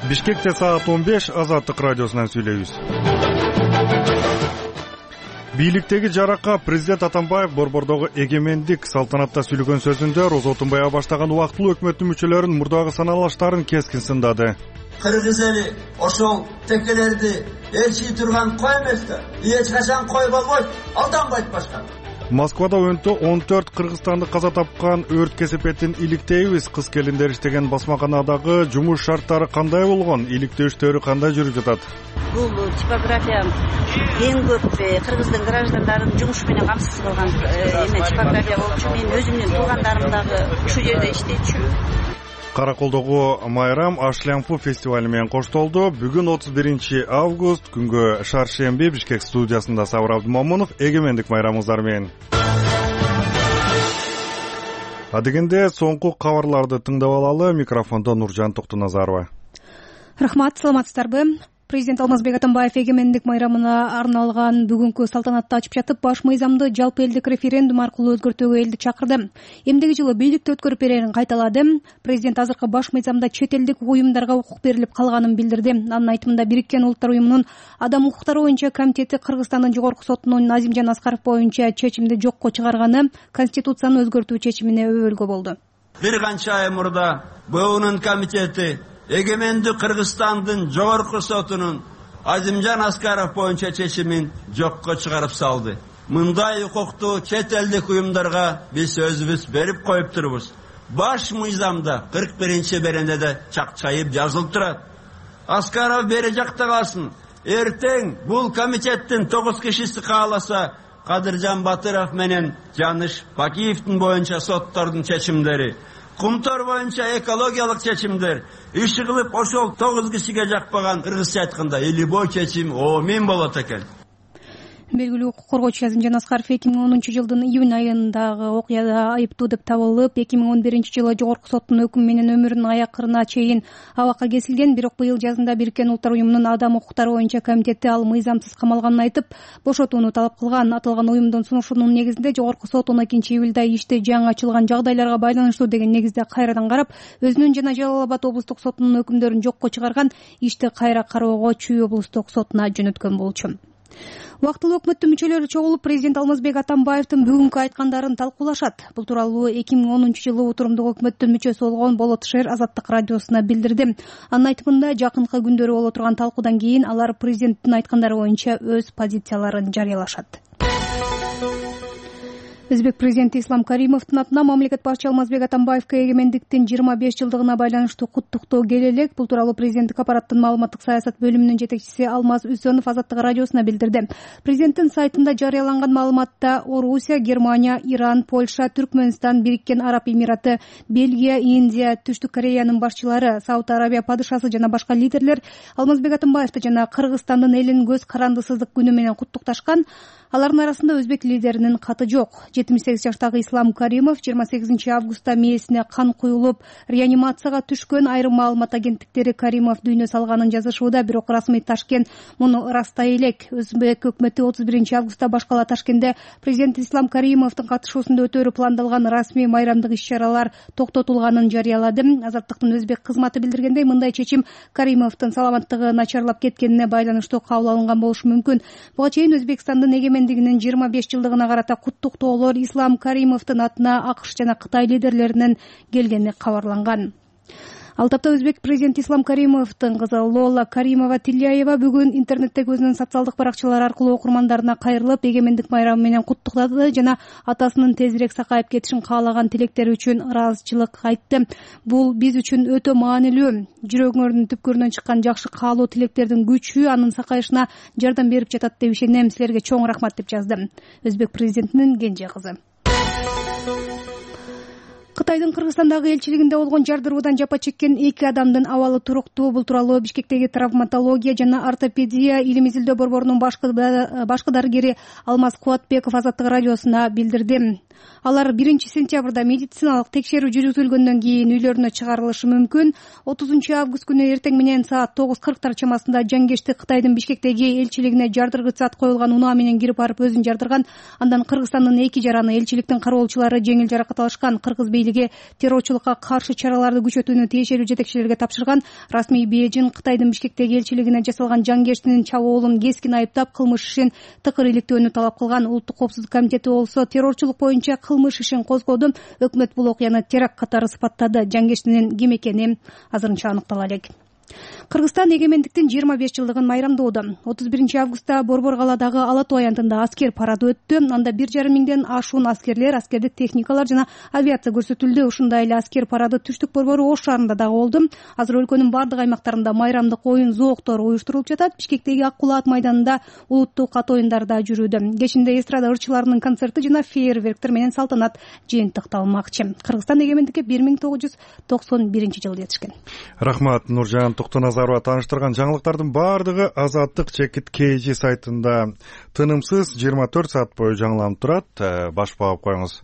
Бишкекте саат 15 Азаттык радиосунан сүйлөйбүз. Бийликтеги жаракка президент Атамбаев борбордогу эгемендик салтанатта сүйлөгөн сөзүндө роза отунбай баштаган убактылуу өкмөттүн мүчөлөрүнүн мурдагы саналаштарын кескин сындады. Кыргыз эли ошол текелерди ээрчий турган кой эмес да. Эч качан кой болбойт, алданбайт башка. Москвада өнтө 14 кыргызстандык каза тапкан өрт кесепетин иликтейбиз. Кыз келиндер иштеген басмаканадагы жумуш шарттары кандай болгон? Иликтөө иштери кандай жүрүп жатат? Бул типография эң көп кыргыздын граждандарын жумуш менен камсыз кылган типография болчу. Мен өзүмдүн туугандарым дагы ушул жерде иштечү. Караколдогу майрам Ашлямфу фестивали менен коштолду. Бүгүн 31 август күнгө шаршемби Бишкек студиясында Сабыр Абдымомунов эгемендик майрамыңыздар менен. Адегенде соңку кабарларды тыңдап алалы. Микрофондо Нуржан Токтоназарова. Рахмат, саламатсыздарбы? Президент Алмазбек Атамбаев эгемендик майрамына арналган бүгүнкү салтанатты ачып жатып, баш мыйзамды жалпы элдик референдум аркылуу өзгөртүүгө элди чакырды. Эмдеги жылы бийликти өткөрүп берерин кайталады. Президент азыркы баш мыйзамда чет элдик уюмдарга укук берилип калганын билдирди. Анын айтымында Бириккен Улуттар уюмунун адам укуктары боюнча комитети Кыргызстандын жогорку сотунун Назимжан Аскаров боюнча чечимди жокко чыгарганы Конституцияны өзгөртүү чечимине өбөлгө болду. Бир канча ай мурда БУнун комитети эгемендик Кыргызстандын жогорку сотунун Назимжан Аскаров боюнча чечимин жокко чыгарып салды. Мындай укукту чет элдик уюмдарга биз өзүбүз берип коюп турбуз. Баш мыйзамда 41-беренеде чакчайып жазылып турат. Аскаров бери жакта калсын. Эртең бул комитеттин 9 кишиси кааласа, Кадыржан Батыров менен Жаныш Бакиевдин боюнча соттордун чечимдери, Кумтор боюнча экологиялык чечимдер иш кылып ошол 9 кишиге жакпаган кыргызча айтканда илибой чечим мен болот экен. Белгилүү укук коргоочу Назимжан Аскаров 2010 жылдын июнь айындагы окуяда айыптуу деп табылып, 2011 жылы жогорку соттун өкүмү менен өмүрүнүн аякырына чейин абакка кесилген. Бирок быйыл жазында Бириккен Улуттар уюмунун адам укуктары боюнча комитети ал мыйзамсыз камалганын айтып, бошотууну талап кылган. Аталган уюмдун сунушунун негизинде жогорку сот 12 июлда ишти жаңы ачылган жагдайларга байланыштуу деген негизде кайрадан карап, өзүнүн жана Жалал Абад облустук сотунун өкүмдөрүн жокко чыгарган. Ишти кайра кароого Чүй облустук сотуна жөнөткөн болчу. Убактылуу өкмөттүн мүчөлөрү чогулуп, президент Алмазбек Атамбаевдин бүгүнкү айткандарын талкуулашат. Бул тууралуу 2010 жылы отурумдук өкмөттүн мүчөсү болгон Болот Шер Азаттык радиосуна билдирди. Анын айтымында жакынкы күндөрү боло турган талкуудан кийин алар президенттин айткандары боюнча өз позицияларын жарыялашат. Өзбек президенти Ислам Каримовдун атына мамлекет башчы Алмазбек Атамбаевге эгемендиктин 25 жылдыгына байланыштуу куттуктоо келе элек. Бул тууралуу президенттик аппараттын маалыматтык саясат бөлүмүнүн жетекчиси Алмаз Үсөнов Азаттык радиосуна билдирди. Президенттин сайтында жарыяланган маалыматта Орусия, Германия, Иран, Польша, Түркмөнстан, Бириккен Араб Эмираты, Бельгия, Индия, Түштүк Кореянын башчылары, Сауд Арабия падышасы жана башка лидерлер Алмазбек Атамбаевди жана Кыргызстандын элин көз карандысыздык күнү менен куттукташкан. Алардын арасында өзбек лидеринин каты жок. 78 жаштагы Ислам Каримов 28 августта мээсине кан куюлуп, реанимацияга түшкөн. Айрым маалымат агенттиктери Каримов дүйнө салганын жазышууда, бирок расмий Ташкент муну ырастай элек. Өзбек өкмөтү 31 августта башкала Ташкентте президент Ислам Каримовдун катышуусунда өтөөрү пландалган расмий майрамдык иш-чаралар токтотулганын жарыялады. Азаттыктын өзбек кызматы билдиргендей, мындай чечим Каримовдун саламаттыгы начарлап кеткенине байланыштуу кабыл алынган болушу мүмкүн. Буга чейин Өзбекстандын эгемендигинин 25 жылдыгына карата куттуктоолор Ислам Каримовдун атына АКШ жана Кытай лидерлеринен келгени кабарланган. Ал тапта өзбек президенти Ислам Каримовдун кызы Лола Каримова-Тильяева бүгүн интернеттеги өзүнүн социалдык баракчалары аркылуу окурмандарына кайрылып, эгемендик майрамы менен куттуктады жана атасынын тезирээк сакайып кетишин каалаган тилектери үчүн ыраазычылык айтты. Бул биз үчүн өтө маанилүү. Жүрөгүңөрдүн түпкүрүнөн чыккан жакшы каалоо тилектердин күчү анын сакайышына жардам берип жатат деп ишенем. Силерге чоң рахмат деп жазды өзбек президентинин кенже кызы. Кытайдын Кыргызстандагы элчилигинде болгон жардыруудан жапа чеккен 2 адамдын абалы туруктуу. Бул тууралуу Бишкектеги травматология жана ортопедия илим изилдөө борборунун башкы дарыгери Алмаз Кубатбеков Азаттык радиосуна билдирди. Алар 1-сентябрда медициналык текшерүү жүргүзүлгөндөн кийин үйлөрүнө чыгарылышы мүмкүн. 30 август күнү эртең менен саат 9:40 чамасында Жангешти Кытайдын Бишкектеги элчилигине жардыргыч зат коюлган унаа менен кирип барып өзүн жардырган. Андан Кыргызстандын 2 жараны элчиликтин кароолчулары жеңил жаракат алышкан. Кыргыз бийлиги террорчулукка каршы чараларды күчөтүүнү тиешелүү жетекчилерге тапшырган. Расмий Бейжин Кытайдын Бишкектеги элчилигине жасалган Жангештинин чабуулун кескин айыптап, кылмыш ишин тыкыр иликтөөнү талап кылган. Улуттук коопсуздук комитети болсо террорчулук боюнча кылмыш ишин козгоду. Өкмөт бул окуяны теракт катары сыпаттады. Жангештинин ким экени азырынча аныктала элек. Кыргызстан эгемендиктин 25 жылдыгын майрамдоодо. 31-августта Борбор калаадагы Ала Тоо аянтында аскер парады өттү. Анда 1,5 миңден ашуун аскерлер, аскердик техникалар жана авиация көрсөтүлдү. Ушундай эле аскер парады Түштүк Борбору Ош шаарында дагы болду. Азыр өлкөнүн бардык аймактарында майрамдык оюн зооктору уюштурулуп жатат. Бишкектеги Ак Кулаат майданында улуттук ат оюндар да жүрүүдө. Кечинде эстрада ырчыларынын концерти жана фейерверктер менен салтанат жыйынтыкталмакчы. Кыргызстан эгемендикке 1991-жылы жетишкен. Рахмат, Нуржан Токтоназарова тааныштырган жаңылыктардын баардыгы Азаттык чекит KG сайтында тынымсыз 24 саат бою жаңыланып турат. Баш багып коюңуз.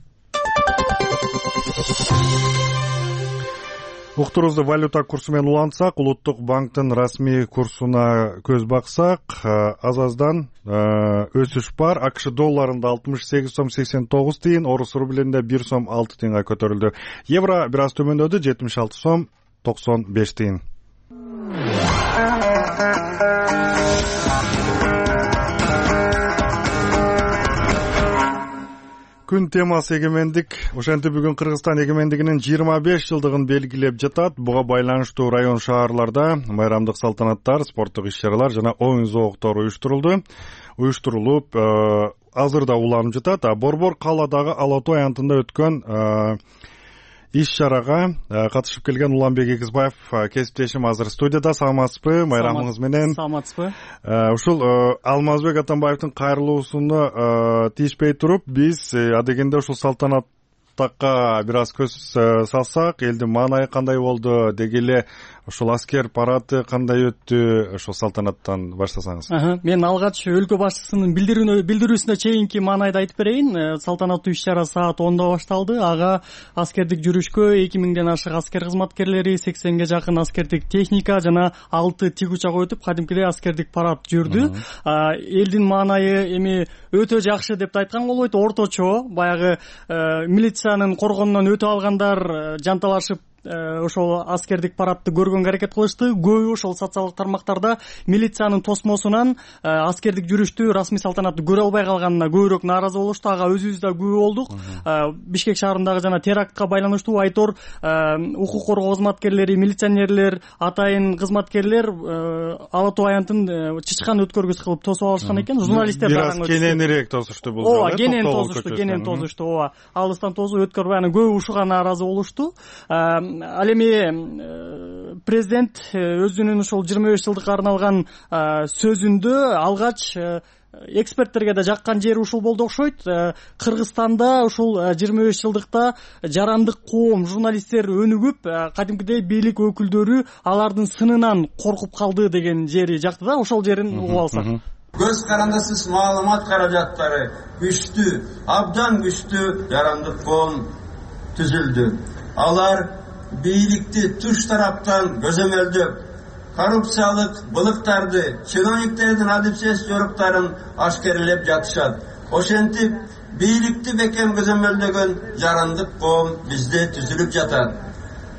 Уктурубузду валюта курсу менен улантсак, Улуттук банктын расмий курсуна көз баксак, азаздан өсүш бар. АКШ долларында 68 сом 89 тиын, орус рублинде 1 сом 6 тиынга көтөрүлдү. Евро бир аз төмөндөдү, 76 сом 95 тиын. Күн темасы эгемендик. Ошентип бүгүн Кыргызстан эгемендигинин 25 жылдыгын белгилеп жатат. Буга байланыштуу район шаарларда майрамдык салтанаттар, спорттук иш-чаралар жана оюн зооктору уюштурулуп, азырда уланып жатат. Борбор калаадагы Ала Тоо аянтында өткөн иш-чарага катышып келген Уланбек Эгизбаев кесиптешим азыр студияда. Саламатсызбы? Майрамыңыз менен. Саламатсызбы? Ушул Алмазбек Атамбаевдин кайрылуусуну тийишпей туруп, биз адегенде ушул салтанаттакка бир аз көз салсак, элдин маанайы кандай болду, деги эле ушул аскер парады кандай өттү, ошол салтанаттан баштасаңыз. Мен алгач өлкө башчысынын билдирүүсүнө чейинки маанайды айтып берейин. Салтанаттуу иш-чара саат 10:00 башталды. Ага аскердик жүрүшкө 2000ден ашык аскер кызматкерлери, 80ге жакын аскердик техника жана 6 тик учак өтүп, кадимкидей аскердик парад жүрдү. Элдин маанайы эми өтө жакшы деп айткан болбойт, орточо. Баягы милициянын коргонунан өтө алгандар жанталашып ошол аскердик парадты көргөнгө аракет кылышты. Көбү ошол социалдык тармактарда милициянын тосмосунан аскердик жүрүштү, расмий салтанатты көрө албай калганына көбүрөөк нааразы болушту. Ага өзүбүз да күбө болдук. Бишкек шаарындагы жана терактка байланыштуу айтор укук коргоо кызматкерлери, милиционерлер, атайын кызматкерлер Ала Тоо аянтын чычкан өткөргүс кылып тосуп алышкан экен. Журналисттер бир аз кененирээк тосушту бул жолу. Ооба, кенен тосушту. Ооба, алыстан тосуп өткөрбөй, анан көбү ушуга нааразы болушту. Ал эми президент өзүнүн ушул 25 жылдыкка арналган сөзүндө алгач эксперттерге да жаккан жери ушул болду окшойт. Кыргызстанда ушул 25 жылдыкта жарандык коом, журналисттер өнүгүп, кадимкидей бийлик өкүлдөрү алардын сынынан коркуп калды деген жери жакты да. Ошол жерин угуп алсак. Көз карандысыз маалымат каражаттары күчтүү, абдан күчтүү жарандык коом түзүлдү. Алар бийликти туш тараптан көзөмөлдөп, коррупциялык былыктарды, чиновниктердин адепсиз жоруктарын ашкерлеп жатышат. Ошентип, бийликти бекем көзөмөлдөгөн жарандык коом бизде түзүлүп жатат.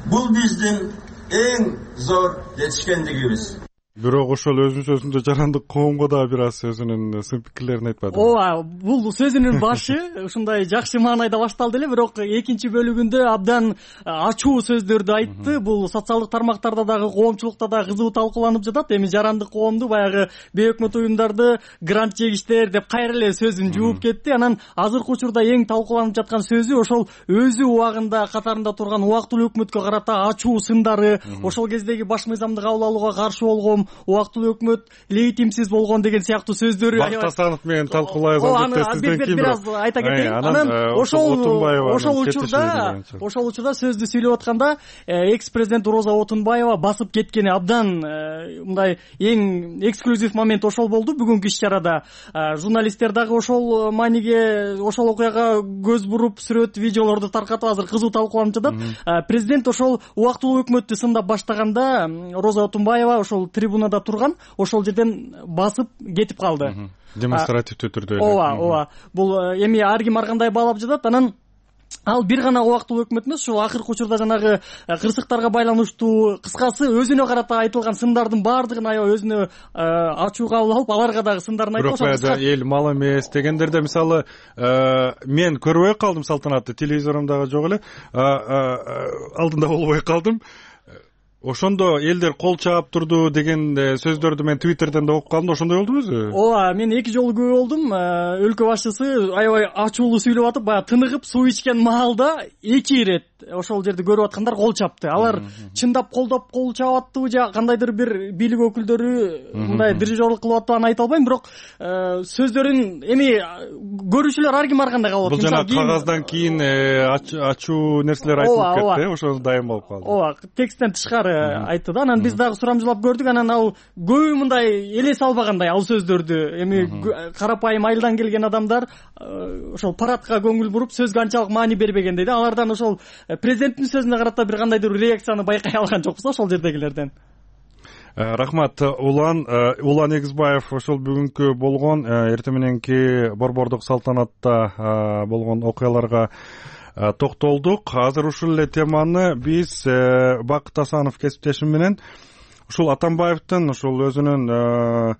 Бул биздин эң зор жетишкендигибиз. Бирок ошол өзүнүн сөзүндө жарандык коомго да бир аз өзүнүн сын пикирлерин айтпады. Ооба, бул сөзүнүн башы ушундай жакшы маанайда башталды эле, бирок экинчи бөлүгүндө абдан ачуу сөздөрдү айтты. Бул социалдык тармактарда дагы, коомчулукта да кызуу талкууланып жатат. Эми жарандык коомду баягы бейөкмөт уюмдарды грант жегиштер деп кайра эле сөзүн жууп кетти. Анан азыркы учурда эң талкууланып жаткан сөзү ошол өзү убагында катарында турган убактылуу өкмөткө карата ачуу сындары, ошол кездеги баш мыйзамды кабыл алууга каршы болгон реформ, убактылуу өкмөт легитимсиз болгон деген сыяктуу сөздөрү Бакыт Асанов менен талкуулайбыз. Сизден кийин бир аз айта кетейин. Анан ошол учурда сөздү сүйлөп атканда экс президент Роза Отунбаева басып кеткени абдан мындай эң эксклюзив момент ошол болду бүгүнкү иш чарада. Журналисттер дагы ошол мааниге, ошол окуяга көз буруп, сүрөт, видеолорду таркатып азыр кызуу талкууланып жатат. Президент ошол убактылуу өкмөттү сындап баштаганда Роза Отунбаева ошол трибунада турган, ошол жерден басып кетип калды. Демонстративдүү түрдө. Ооба. Бул эми ар ким ар кандай баалап жатат. Анан ал бир гана убактылуу өкмөт эмес, ушул акыркы учурда жанагы кырсыктарга байланыштуу кыскасы өзүнө карата айтылган сындардын баардыгын аябай өзүнө ачуу кабыл алып, аларга дагы сындарын айтып ошол. Бирок эл мал эмес дегендерде мисалы мен көрбөй калдым, Салтанатты телевизорумдагы жок эле, алдында болбой калдым. Ошондо элдер кол чаап турду деген сөздөрдү мен Twitterден да окуп калдым. Ошондой болдубу өзү? Ооба, мен 2 жолу күбө болдум. Өлкө башчысы аябай ачуулуу сүйлөп атып, баягы тыныгып суу ичкен маалда 2 ирет ошол жерди көрүп аткандар кол чапты. Алар чындап колдоп кол чаап аттыбы же кандайдыр бир бийлик өкүлдөрү мындай дирижерлик кылып аттыбы аны айта албайм, бирок сөздөрүн эми көрүүчүлөр ар ким ар кандай кабыл алат. Бул жана кагаздан кийин ачуу нерселер айтылып кетти, ошо дайым болуп калды. Ооба, тексттен тышкары айтты да. Анан биз дагы сурамжылап көрдүк. Анан ал көбү мындай элес албагандай ал сөздөрдү. Эми карапайым айылдан келген адамдар ошол парадка көңүл буруп, сөзгө анчалык маани бербегендей да. Алардан ошол президенттин сөзүнө карата бир кандайдыр реакцияны байкай алган жокпуз ошол жердегилерден. Рахмат. Улан Эгизбаев ошол бүгүнкү болгон эртең мененки борбордук салтанатта болгон окуяларга токтолдук. Азыр ушул эле теманы биз Бакыт Асанов кесиптешим менен ушул Атамбаевдин ушул өзүнүн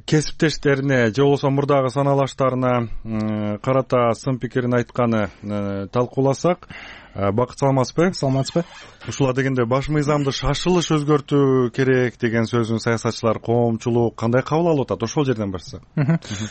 кесиптештерине же болбосо мурдагы саналаштарына карата сын пикирин айтканы талкууласак. Бакыт, саламатсызбы? Саламатсызбы. Ушула дегенде баш мыйзамды шашылыш өзгөртүү керек деген сөзүн саясатчылар, коомчулук кандай кабыл алып атат? Ошол жерден баштасак.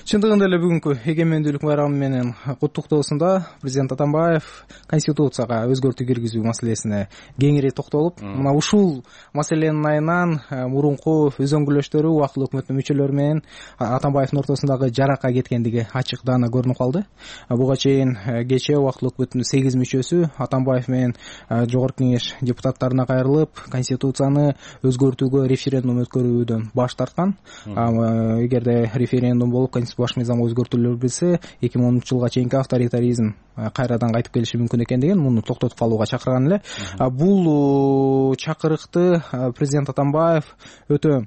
Чындыгында эле бүгүнкү эгемендүүлүк байрамы менен куттуктоосунда президент Атамбаев конституцияга өзгөртүү киргизүү маселесине кеңири токтолуп, мына ушул маселенин айынан мурунку өзөңгүлөштөрү убактылуу өкмөттүн мүчөлөрү менен Атамбаевдин ортосундагы жаракка кеткендиги ачык даана көрүнүп калды. Буга чейин кечээ убактылуу өкмөттүн 8 мүчөсү Атамбаев менен Жогорку Кеңеш депутаттарына кайрылып, конституцияны өзгөртүүгө референдум өткөрүүдөн баш тарткан. Эгерде референдум болуп, конституция баш мыйзамга өзгөртүүлөр кирсе, 2010-жылга чейинки авторитаризм кайрадан кайтып келиши мүмкүн экендигин, муну токтотуп калууга чакырган эле. Бул чакырыкты президент Атамбаев өтө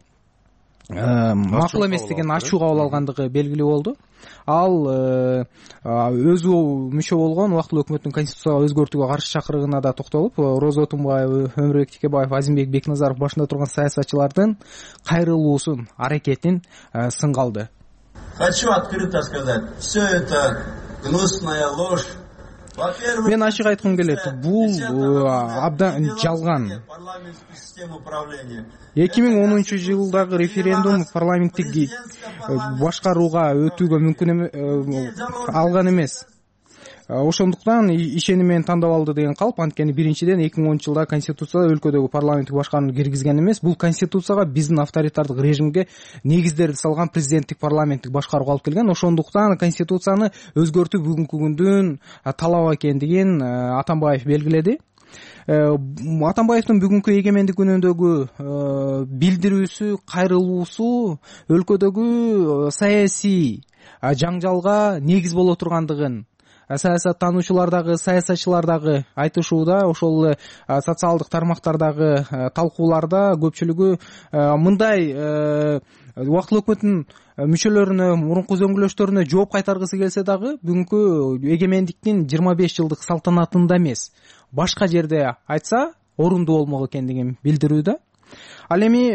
макул эместигин ачуу кабыл алгандыгы белгилүү болду. Ал өзү мүчө болгон убактылуу өкмөттүн конституцияга өзгөртүүгө каршы чакырыгына да токтолуп, Роза Отунбаева, Өмүрбек Текебаев, Азимбек Бекназаров башында турган саясатчылардын кайрылуусун, аракетин сынга алды. Хочу открыто сказать, все это гнусная ложь. Мен ачык айткым келет, бул абдан жалган. 2010-жылдагы референдум парламенттик башкарууга өтүүгө мүмкүн алган эмес. Ошондуктан ишеним менен тандап алды деген калп. Анткени биринчиден 2010-жылда конституцияда өлкөдөгү парламенттик башкарууну киргизген эмес. Бул конституцияга биздин авторитардык режимге негиздерди салган президенттик парламенттик башкарууга алып келген. Ошондуктан конституцияны өзгөртүү бүгүнкү күндүн талабы экендигин Атамбаев белгиледи. Атамбаевдин бүгүнкү эгемендик күнүндөгү билдирүүсү, кайрылуусу өлкөдөгү саясий жаңжалга негиз боло тургандыгын саясаттануучулар дагы, саясатчылар дагы айтышууда. Ошол эле социалдык тармактардагы талкууларда көпчүлүгү мындай убактылуу өкмөттүн мүчөлөрүнө, мурунку өзөңгүлөштөрүнө жооп кайтаргысы келсе дагы бүгүнкү эгемендиктин 25 жылдык салтанатында эмес, башка жерде айтса орундуу болмок экендигин билдирүүдө. Ал эми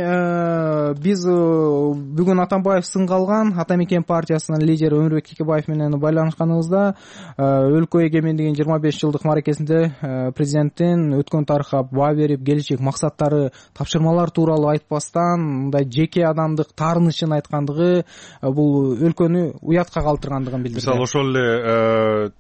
биз бүгүн Атамбаев сынга алган Ата Мекен партиясынын лидери Өмүрбек Текебаев менен байланышканыбызда өлкө эгемендигинин 25 жылдык мааракесинде президенттин өткөн тарыхка баа берип, келечек максаттары, тапшырмалар тууралуу айтпастан мындай жеке адамдык таарынычын айткандыгы бул өлкөнү уятка калтыргандыгын билдирди. Мисалы ошол эле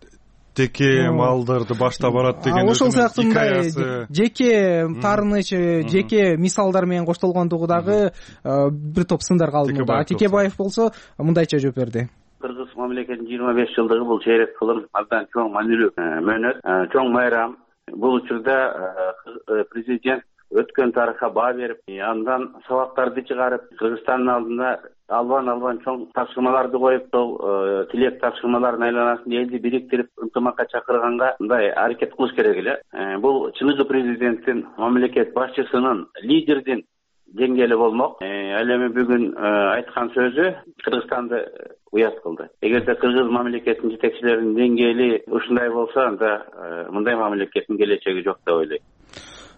теке малдарды баштап барат деген ошол сыяктуу мындай жеке таарыныч жеке мисалдар менен коштолгондугу дагы бир топ сындар калды. Текебаев болсо мындайча жооп берди. Кыргыз мамлекетинин 25 жылдыгы бул чейрек кылым абдан чоң маанилүү мөөнөт, чоң майрам. Бул учурда президент өткөн тарыхка баа берип, андан сабактарды чыгарып, Кыргызстандын алдына албан чоң тапшырмаларды коюп, сол тилек тапшырмаларынын айланасында элди бириктирип, ынтымакка чакырганга мындай аракет кылыш керек эле. Бул чыныгы президенттин, мамлекет башчысынын, лидердин деңгээли болмок. Ал эми бүгүн айткан сөзү Кыргызстанды уят кылды. Эгерде кыргыз мамлекетинин жетекчилеринин деңгээли ушундай болсо, анда мындай мамлекеттин келечеги жок деп ойлойм.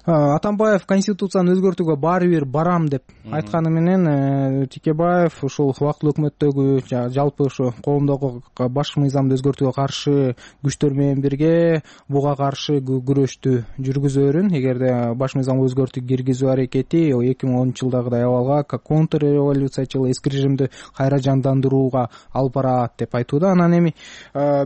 Атамбаев конституцияны өзгөртүүгө баары бир барам деп айтканы менен Текебаев ушул убактылуу өкмөттөгү жалпы ушу коомдогу башкы мыйзамды өзгөртүүгө каршы күчтөр менен бирге буга каршы күрөштү жүргүзөрүн, эгерде баш мыйзамды өзгөртүү киргизүү аракети 2010 жылдагыдай абалга контрреволюциячыл эски режимди кайра жандандырууга алып барат деп айтууда. Анан эми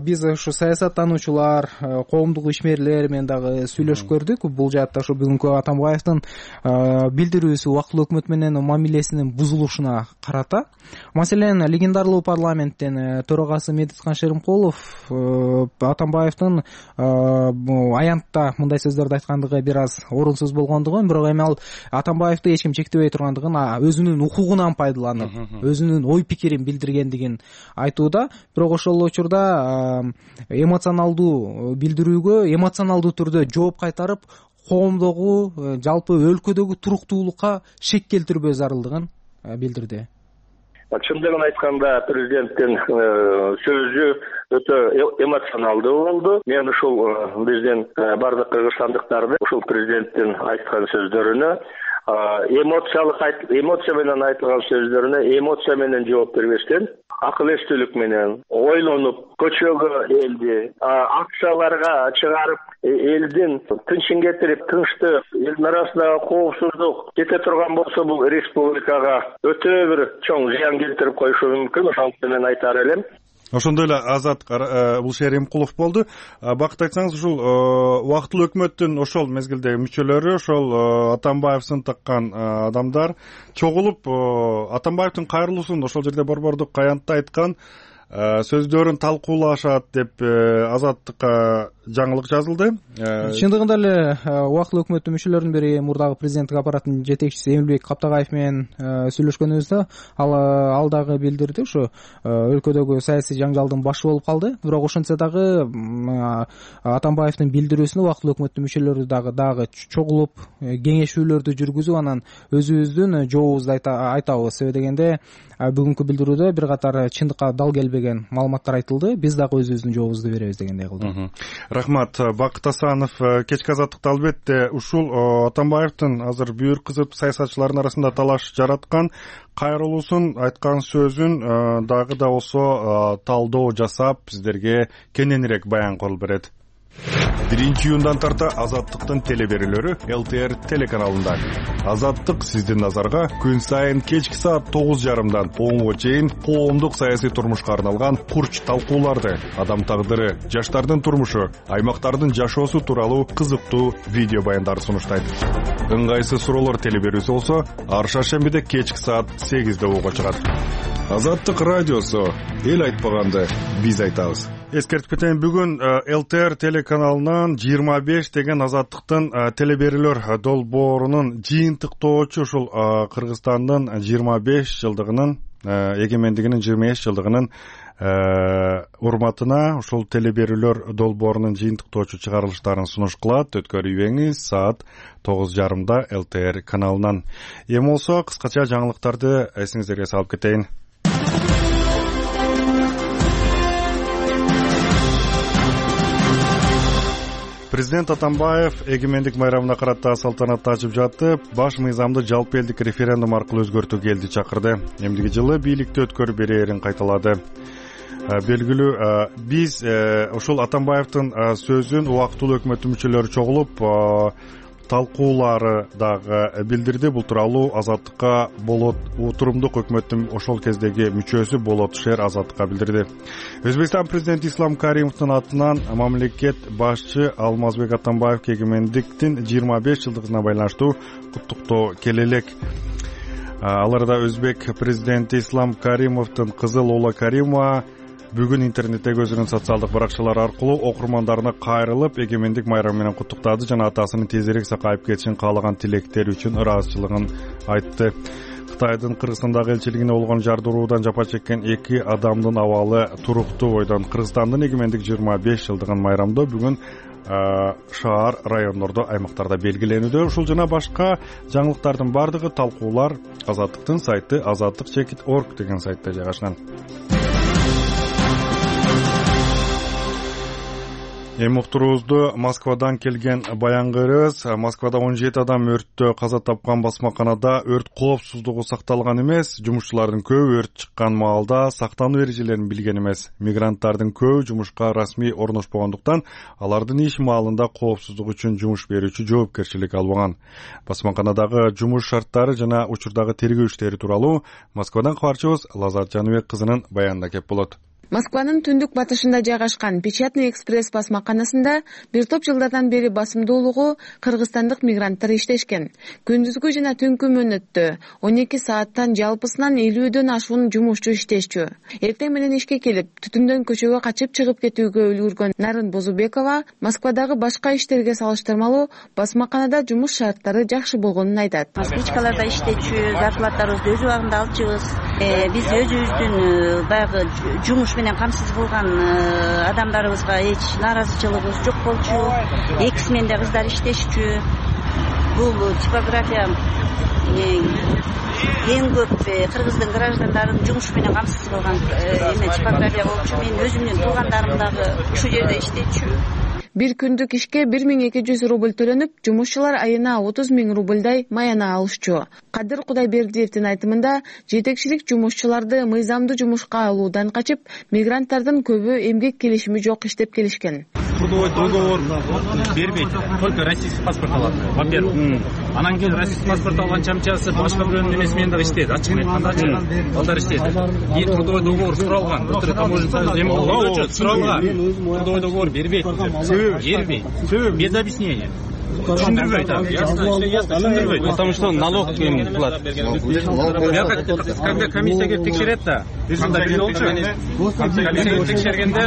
биз ушу саясаттануучулар, коомдук ишмерлер менен дагы сүйлөшүп көрдүк. Бул жаатта ушу бүгүнкү Атамбаевдин билдирүүсү убактылуу өкмөт менен мамилесинин бузулушуна карата. Маселен, легендарлуу парламенттин төрагасы Медетхан Шеримкулов Атамбаевдин аянтта мындай сөздөрдү айткандыгы бир аз орунсуз болгондугун, бирок эми ал Атамбаевди эч ким чектебей тургандыгын, өзүнүн укугунан пайдаланып, өзүнүн ой пикирин билдиргендигин айтууда. Бирок ошол учурда эмоционалдуу билдирүүгө эмоционалдуу түрдө жооп кайтарып, коомдогу, жалпы өлкөдөгү туруктуулукка шек келтирбөө зарылдыгын билдирди. Чындыгын айтканда, президенттин сөзү өтө эмоционалдуу болду. Мен ушул биздин бардык кыргызстандыктарды ушул президенттин айткан сөздөрүнө эмоция менен айтылган сөздөрүнө эмоция менен жооп бербестен, акыл эстүүлүк менен ойлонуп, көчөгө элди, акцияларга чыгарып, элдин тынчын кетирип, тынчтык, элдин арасындагы коопсуздук кете турган болсо, бул республикага өтө бир чоң зыян келтирип коюшу мүмкүн. Ошондуктан мен айтар элем. Ошондой эле Азат бул Шеримкулов болду. Бакыт айтсаңыз, ушул убактылуу өкмөттүн ошол мезгилдеги мүчөлөрү, ошол Атамбаев сынтаккан адамдар чогулуп Атамбаевдин кайрылуусун ошол жерде борбордук аянтта айткан сөздөрүн талкуулашат деп Азаттыкка жаңылык жазылды. Чындыгында эле убактылуу өкмөттүн мүчөлөрүнүн бири мурдагы президенттик аппараттын жетекчиси Эмилбек Каптагаев менен сүйлөшкөнүбүздө ал дагы билдирди, ушу өлкөдөгү саясий жаңжалдын башы болуп калды. Бирок ошентсе дагы Атамбаевдин билдирүүсүнө убактылуу өкмөттүн мүчөлөрү дагы чогулуп кеңешүүлөрдү жүргүзүп, анан өзүбүздүн жообубузду айтабыз. Себеби дегенде бүгүнкү билдирүүдө бир катар чындыкка дал келбеген маалыматтар айтылды. Биз дагы өзүбүздүн жообубузду беребиз дегендей кылды. Рахмат. Бакыт Асанов, кечки азаттыкта албетте ушул Атамбаевдин азыр бүйүр кызып саясатчылардын арасында талаш жараткан кайрылуусун, айткан сөзүн дагы да болсо талдоо жасап сиздерге кененирээк баян кылып берет. 1-июндан тарта Азаттыктын телеберүүлөрү ЛТР телеканалында. Азаттык сиздин назарга күн сайын кечки саат 9:30дан 10:00 чейин коомдук саясий турмушка арналган курч талкууларды, адам тагдыры, жаштардын турмушу, аймактардын жашоосу тууралуу кызыктуу видео баяндарды сунуштайт. Ыңгайсыз суроолор телеберүүсү болсо ар шаршембиде кечки саат 8:00 угуга чыгат. Азаттык радиосу, эл айтпаганды биз айтабыз. Эскертип кетейин, бүгүн ЛТР телеканалынан 25 деген Азаттыктын телеберүүлөр долбоорунун жыйынтыктоочу ушул Кыргызстандын 25 жылдыгынын, эгемендигинин 25 жылдыгынын урматына ушул телеберүүлөр долбоорунун жыйынтыктоочу чыгарылыштарын сунуш кылат. Өткөрүбеңиз саат 9:30 ЛТР каналынан. Эми болсо кыскача жаңылыктарды эсиңиздерге салып кетейин. Президент Атамбаев эгемендик майрамына карата салтанатты ачып жатып, баш мыйзамды жалпы элдик референдум аркылуу өзгөртүүгө элди чакырды. Эмдиги жылы бийликти өткөрүп берерин кайталады. Белгилүү, биз ушул Атамбаевдин сөзүн убактылуу өкмөттүн мүчөлөрү чогулуп талкуулары дагы билдирди. Бул тууралуу Азаттыкка Болот Утурумдук өкмөттүн ошол кездеги мүчөсү Болот Шер Азаттыкка билдирди. Өзбекстан президенти Ислам Каримовдун атынан мамлекет башчы Алмазбек Атамбаевге эгемендиктин 25 жылдыгына байланыштуу куттуктоо келе элек. Аларда өзбек президенти Ислам Каримовдун кызы Лола Каримова бүгүн интернеттеги өзүнүн социалдык баракчалары аркылуу окурмандарына кайрылып, эгемендик майрамы менен куттуктады жана атасынын тезирээк сакайып кетишин каалаган тилектери үчүн ыраазычылыгын айтты. Кытайдын Кыргызстандагы элчилигине болгон жардыруудан жапа чеккен 2 адамдын абалы туруктуу. Бойдон Кыргызстандын эгемендик 25 жылдыгын майрамдоо бүгүн шаар, райондордо, аймактарда белгиленүүдө. Ушул жана башка жаңылыктардын бардыгы талкуулар Азаттыктын сайты azattik.org деген сайтта жайгашкан. Эми уктуруубузду Москвадан келген баян көрөбүз. Москвада 17 адам өрттө каза тапкан басмаканада өрт коопсуздугу сакталган эмес. Жумушчулардын көбү өрт чыккан маалда сактануу эрежелерин билген эмес. Мигранттардын көбү жумушка расмий орношпогондуктан алардын иш маалында коопсуздук үчүн жумуш берүүчү жоопкерчилик албаган. Басмаканадагы жумуш шарттары жана учурдагы тергөө иштери тууралуу Москвадан кабарчыбыз Лазат Жаныбек кызынын баянында кеп болот. Москванын түндүк батышында жайгашкан Печатный экспресс басмаканасында бир топ жылдардан бери басымдуулугу кыргызстандык мигранттар иштешкен. Күндүзгү жана түнкү мөөнөттө 12 сааттан жалпысынан 50дөн ашуун жумушчу иштешчү. Эртең менен ишке келип, түтүндөн көчөгө качып чыгып кетүүгө үлгүргөн Нарын Бозубекова Москвадагы башка иштерге салыштырмалуу басмаканада жумуш шарттары жакшы болгонун айтат. Москвичкаларда иштечү, зарплатабызды өз убагында алчубуз. Биз өзүбүздүн баягы жумуш менен камсыз кылган адамдарыбызга эч нааразычылыгыбыз жок болчу. Эки сменде кыздар иштешчү. Бул типография эң көп кыргыздын граждандарын жумуш менен камсыз кылган типография болчу. Мен өзүмдүн туугандарым дагы ушул жерде иштечү. Бир күндүк ишке 1200 рубль төлөнүп, жумушчулар айына 30 000 рубльдай маяна алышчу. Кадыр Кудайбердиевдин айтымында, жетекчилик жумушчуларды мыйзамдуу жумушка алуудан качып, мигранттардын көбү эмгек келишими жок иштеп келишкен. Трудовой договор бербейт, только российский паспорт алат. Во-первых, анан кийин российский паспорт алган чамчасы башка бирөөнүн эмеси менен дагы иштейт. Ачык айтканда, балдар иштейт. Кийин трудовой договор суралган. Былтыр таможня эме болгон суралган. Трудовой договор бербейт. Бербейт. Без объяснения. Түшүндүрбөйт. Түшүндүрбөйт. Потому что налог платят. Когда комиссия келип текшерет да, комиссия келип текшергенде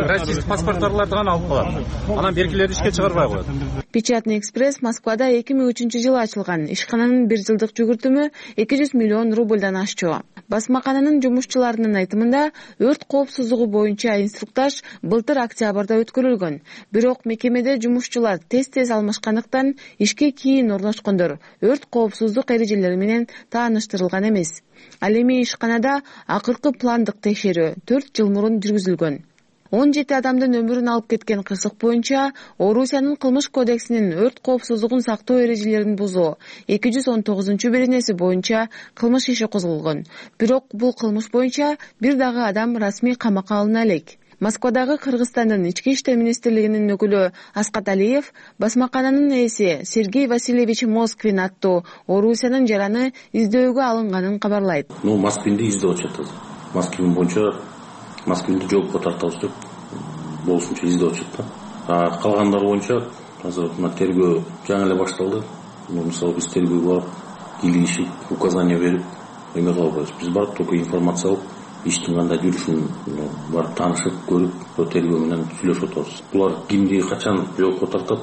российский паспорттарларды гана алып калат. Анан беркилерди ишке чыгарбай коет. Печатный экспресс Москвада 2003-жылы ачылган. Ишкананын 1 жылдык жүгүртүмү 200 миллион рубльдан ашчу. Басмакананын жумушчуларынын айтымында, өрт коопсуздугу боюнча инструктаж былтыр октябрда өткөрүлгөн. Бирок мекемеде жумушчулар тез алмашкандыктан ишке кийин орношкондор өрт коопсуздук эрежелери менен тааныштырылган эмес. Ал эми ишканада акыркы пландык текшерүү 4 жыл мурун жүргүзүлгөн. 17 адамдын өмүрүн алып кеткен кырсык боюнча Орусиянын кылмыш кодексинин өрт коопсуздугун сактоо эрежелерин бузуу 219-беренеси боюнча кылмыш иши козголгон. Бирок бул кылмыш боюнча бир дагы адам расмий камакка алына элек. Москвадагы Кыргызстандын ички иштер министрлигинин өкүлү Аскат Алиев басмакананын ээси Сергей Васильевич Москвин аттуу Орусиянын жараны издөөгө алынганын кабарлайт. Москвинди издеп атышат. Москвин боюнча Москвинди жоопко тартабыз деп болушунча издеп атышат да. Калгандары боюнча азыр мына тергөө жаңы эле башталды. Мисалы биз тергөөгө барып, кийлигишип, указания берип, эме кылып атабыз. Биз барып только информация алып, иштин кандай жүрүшүн барып таанышып, көрүп, тергөө менен сүйлөшүп атабыз. Булар кимди качан жоопко тартат,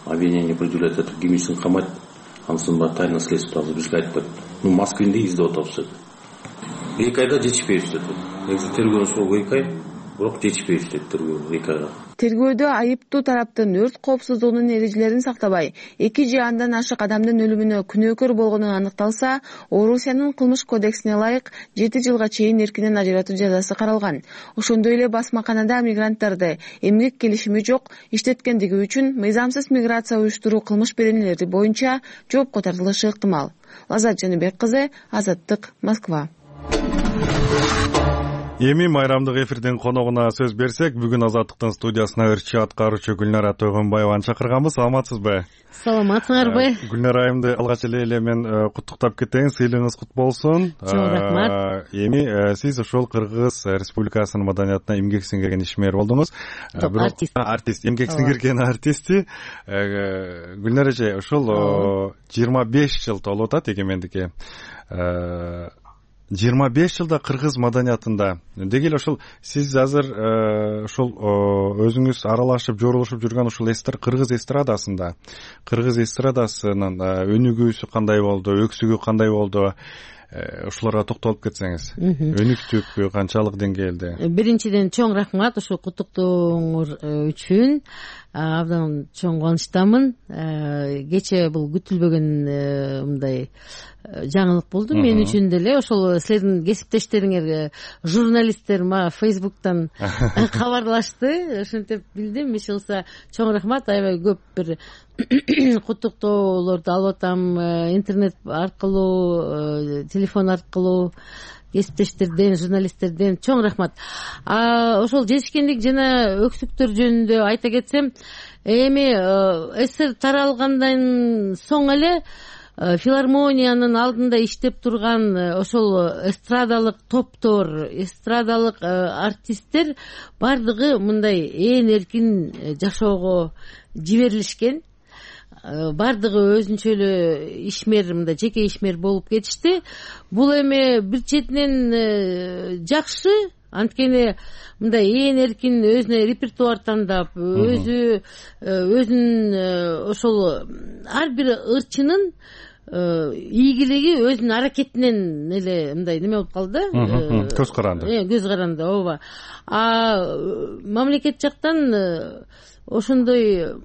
обвинение предъявлять этип, кимисин камайт, анысын баары тайна следствие бизге айтпайт. Москвинди издеп атабыз. 2 айда жетишпейбиз деп. Негизи тергөөнүн срогу 2 ай, бирок жетишпейбиз деп тергөө 2 айга. Тергөөдө айыптуу тараптын өрт коопсуздугунун эрежелерин сактабай, 2 же андан ашык адамдын өлүмүнө күнөөкөр болгону аныкталса, Орусиянын кылмыш кодексине ылайык 7 жылга чейин эркинен ажыратуу жазасы каралган. Ошондой эле басмаканада мигранттарды эмгек келишими жок иштеткендиги үчүн мыйзамсыз миграция уюштуруу кылмыш беренелери боюнча жоопко тартылышы ыктымал. Лазат Жаныбек кызы, Азаттык, Москва. Эми майрамдык эфирдин коногуна сөз берсек, бүгүн Азаттыктын студиясына ырчы аткаруучу Гүлнара Тойгонбаеваны чакырганбыз. Саламатсызбы? Саламатсыңарбы? Гүлнара айымды алгач эле мен куттуктап кетейин. Сыйлыгыңыз кут болсун. Чоң рахмат. Эми сиз ошол Кыргыз Республикасынын маданиятына эмгек сиңирген ишмер болдуңуз. Артист, эмгек сиңирген артисти. Гүлнара эже, ошол 25 жыл толуп атат эгемендикке. 25 жылда кыргыз маданиятында деги эле ошол сиз азыр ошол өзүңүз аралашып жорулушуп жүргөн ошол кыргыз эстрадасында, кыргыз эстрадасынын өнүгүүсү кандай болду, өксүгү кандай болду, ушуларга токтолуп кетсеңиз. Өнүктүк канчалык деңгээлде? Биринчиден чоң рахмат ушул куттуктооңор үчүн. Абдан чоң кубанычтамын. Кечээ бул күтүлбөгөн мындай жаңылык болду мен үчүн деле. Ошол силердин кесиптештериңер, журналисттер мага Facebook'тан кабарлашты. Ошентип билдим. Иш кылса чоң рахмат. Аябай көп бир куттуктоолорду алып атам интернет аркылуу, телефон аркылуу. Кесиптештерден, журналисттерден чоң рахмат. Ошол жетишкендик жана өксүктөр жөнүндө айта кетсем, эми СССР таралгандан соң эле филармониянын алдында иштеп турган ошол эстрадалык топтор, эстрадалык артисттер бардыгы мындай эркин жашоого жиберилишкен. Бардыгы өзүнчө эле ишмер, мындай жеке ишмер болуп кетишти. Бул эми бир четинен жакшы, анткени мындай эркин өзүнө репертуар тандап, өзүнүн ошол ар бир ырчынын ийгилиги өзүнүн аракетинен эле мындай неме болуп калды да. Көз каранды. Көз каранды, ооба. Мамлекет жактан ошондой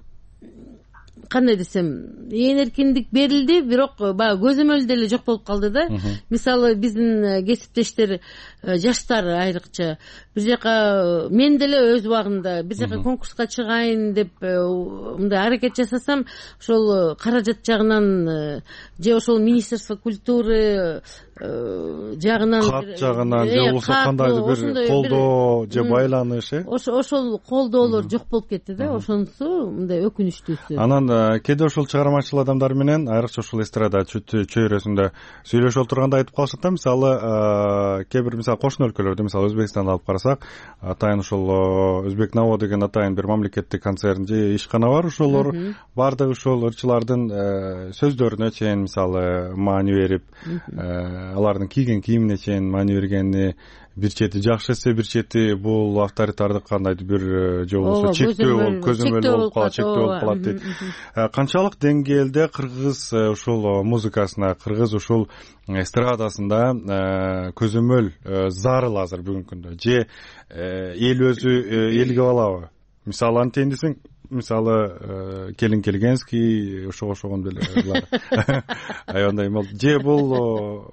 кандай десем, эркиндик берилди, бирок баягы көзөмөл деле жок болуп калды да. Мисалы биздин кесиптештер, жаштар айрыкча бир жака мен деле өз убагында бир жака конкурска чыгайын деп мындай аракет жасасам, ошол каражат жагынан же ошол Министерство культуры жагынан, кат жагынан же болбосо кандайдыр бир колдоо же байланыш, ошол колдоолор жок болуп кетти да. Ошонусу мындай өкүнүчтүүсү. Анан кээде ошол чыгармачыл адамдар менен, айрыкча ошол эстрада чөйрөсүндө сүйлөшүп отурганда айтып калышат да, мисалы кээ бир мисалы кошуна өлкөлөрдө, мисалы Өзбекстанды алып карасак, атайын ошол Өзбек Наво деген атайын бир мамлекеттик концерн же ишкана бар, ошолор бардыгы ушул ырчылардын сөздөрүнө чейин мисалы маани берип, алардын кийген кийимине чейин маани бергени бир чети жакшы эсе, бир чети бул авторитардык кандайдыр бир же болбосо чектөө болуп, көзөмөл болуп калат, чектөө болуп калат дейт. Канчалык деңгээлде кыргыз ушул музыкасына, кыргыз ушул эстрадасында көзөмөл зарыл азыр бүгүнкү күндө, же эл өзү элге алабы? Мисалы антейин десең, мисалы Келин Келгенский ошого окшогон деле аябай болду. Же бул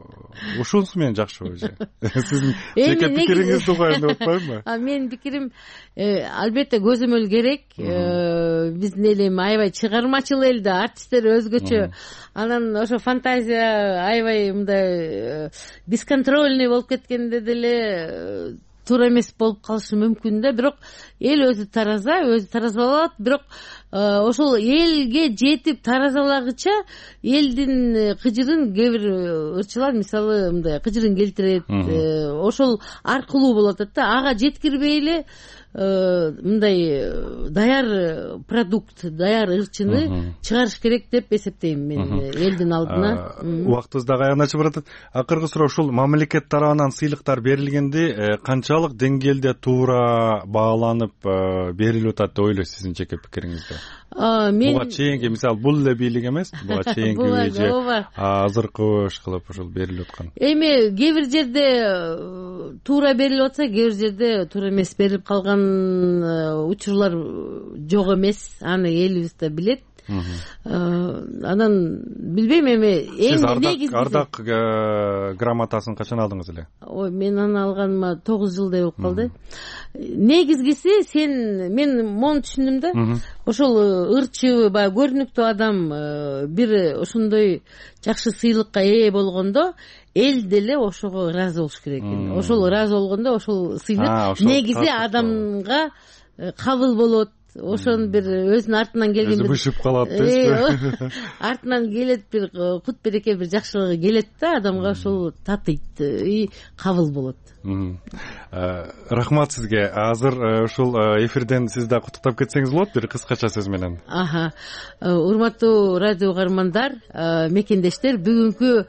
ушунусу менен жакшыбы же? Сиздин жеке пикириңизди угайын деп атпаймынбы? Менин пикирим албетте көзөмөл керек. Биздин эл эми аябай чыгармачыл эл да, артисттер өзгөчө. Анан ошо фантазия аябай мындай бесконтрольный болуп кеткенде деле туура эмес болуп калышы мүмкүн да. Бирок эл өзү таразалап, бирок ошол элге жетип таразалагыча элдин кыжырын кээ бир ырчылар мисалы мындай кыжырын келтирет, ошол аркылуу болуп атат да. Ага жеткирбей эле мындай даяр продукт, даяр ырчыны чыгарыш керек деп эсептейм мен элдин алдына. Убактыбыз дагы аягына чыгып баратат. Акыркы суроо ушул мамлекет тарабынан сыйлыктар берилгенде канчалык деңгээлде туура бааланып берилип атат деп ойлойсуз сиздин жеке пикириңизде? Буга чейинки мисалы бул эле бийлик эмес, буга чейинки же азыркы кылып ушул берилип аткан. Эми кээ бир жерде туура берилип атса, кээ бир жерде туура эмес берилип калган учурлар жок эмес. Аны элибиз да билет. Анан билбейм эми эң негизгиси. Ардак грамотасын качан алдыңыз эле? Ой, мен аны алганыма 9 жылдай болуп калды. Негизгиси мен мону түшүндүм да. Ошол ырчы, баягы көрүнүктүү адам бир ошондой жакшы сыйлыкка ээ болгондо эл деле ошого ыраазы болуш керек экен. Ошол ыраазы болгондо ошол сыйлык негизи адамга кабыл болот. Ошонун бир өзүнүн артынан келген бир бышып калат дейсизби? Артынан келет бир кут береке, бир жакшылыгы келет да, адамга ошол татыйт и кабыл болот. Рахмат сизге. Азыр ушул эфирден сиз да куттуктап кетсеңиз болот бир кыскача сөз менен. Урматтуу радио угармандар, мекендештер, бүгүнкү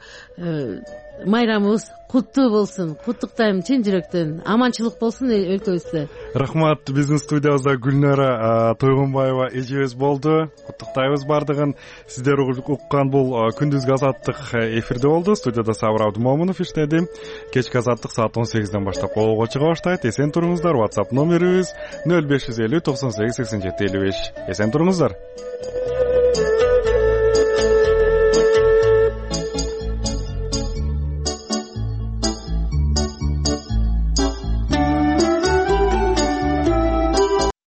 майрамыбыз куттуу болсун. Куттуктайм чын жүрөктөн. Аманчылык болсун өлкөбүздө. Рахмат. Биздин студиябызда Гүлнара Тойгонбаева эжебиз болду. Куттуктайбыз бардыгын. Сиздер уккан бул күндүзгү азаттык эфирде болду. Студияда Сабыр Абдымомунов иштеди. Кечки азаттык саат 18ден баштап колго чыга баштайт. Эсен туруңуздар. WhatsApp номерибиз 0550 98 87 55. Эсен туруңуздар.